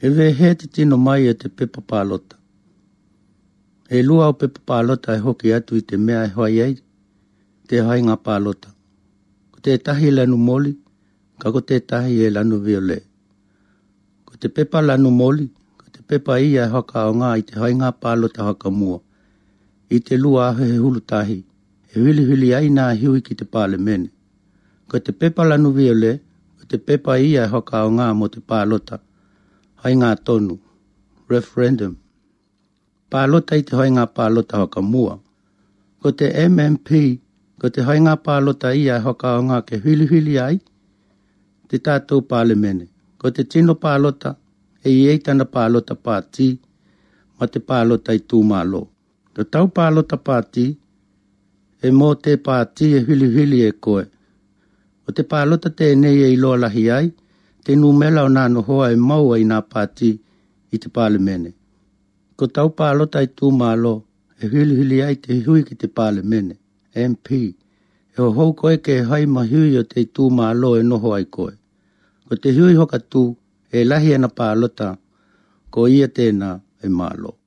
E wehe te tino mai e te pepa pālota. E lua o pepa pālota e hoki atu i te mea e whai ai te hainga pālota. Ko tētahi lanu moli, ka ko tētahi e lanu viole. Ko te pepa lanu moli, ko te pepa ia e whakaonga i te hainga pālota whakamua. I te lua ahe he hulutahi, e whiliwhili ai nā hiwi ki te pālemene. Ko te pepa lanu viole, ko te pepa ia e whakaonga mō te pālota, hainga tonu, referendum. Pālota i te hainga pālota whakamua. Ko te MMP, ko te hainga pālota ia e whakaonga ke whiliwhili ai te tātou pālemene. Ko te tino pālota, e i ei tana pālota pātī, ma te pālota i tūmālo. Ko tau pālota pātī, e mō te pātī e whiliwhili e koe. Ko te pālota tēnei e iloa lahi ai, te numela o nā nohoa e maua i nā pātī i te pālemene. Ko tau pālota i tūmālo, e whiliwhili ai te hui ki te pālemene, MP. E hohou koe ke hai ma hui o te tūmālo e noho ai koe. Ko te hui whakatū, e lahi ana pālota, ko ia tēnā e mālo.